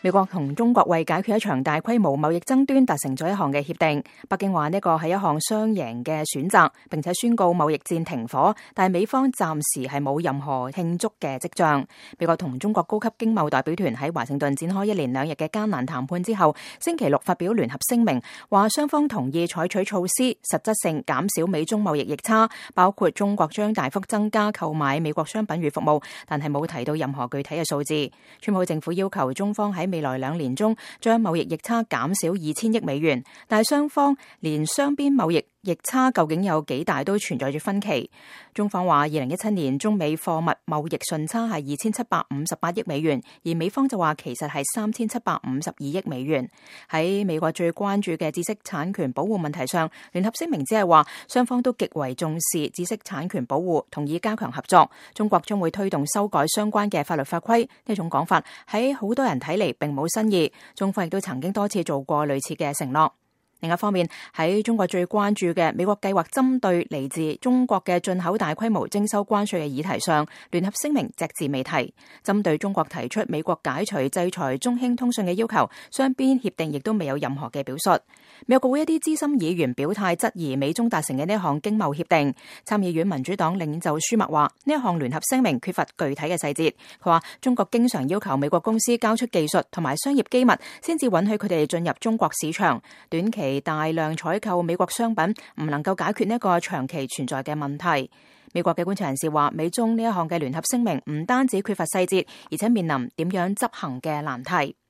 美國同中國為解決一場大規模貿易爭端達成咗一項嘅協定。北京話呢個係一項雙贏嘅選擇，並且宣告貿易戰停火，但係美方暫時係冇任何慶祝嘅跡象。美國同中國高級經貿代表團喺華盛頓展開一連2日嘅艱難談判之後，星期六發表聯合聲明，話雙方同意採取措施，實質性減少美中貿易逆差，包括中國將大幅增加購買美國商品與服務，但係冇提到任何具體嘅數字。川普政府要求中方喺未來2年中將貿易逆差減少2000億美元，但係雙方連雙邊貿易逆差究竟有幾大都存在住分歧。中方話2017年中美貨物貿易順差係2758億美元，而美方就話其實係3752億美元。喺美國最關注嘅知識產權保護問題上，聯合聲明只係話雙方都極為重視知識產權保護，同意加強合作。中國將會推動修改相關嘅法律法規，呢種講法喺好多人睇嚟並冇新意。中方亦都曾經多次做過類似嘅承諾。另一方面，喺中國最關注嘅美國計劃針對嚟自中國嘅進口大規模徵收關稅嘅議題上，聯合聲明隻字未提。針對中國提出美國解除制裁中興通訊嘅要求，雙邊協定亦都未有任何嘅表述。美國國會一啲資深議員表態質疑美中達成嘅呢一項經貿協定。參議院民主黨領袖舒默話，呢一項聯合聲明缺乏具體嘅細節。佢話中國經常要求美國公司交出技術同埋商業機密，先至允許佢哋進入中國市場。短期大量採購美國商品唔能夠解決呢一個長期存在嘅問題。美國嘅觀察人士話，美中呢一項嘅聯合聲明唔單止缺乏細節，而且面臨點樣執行嘅難題。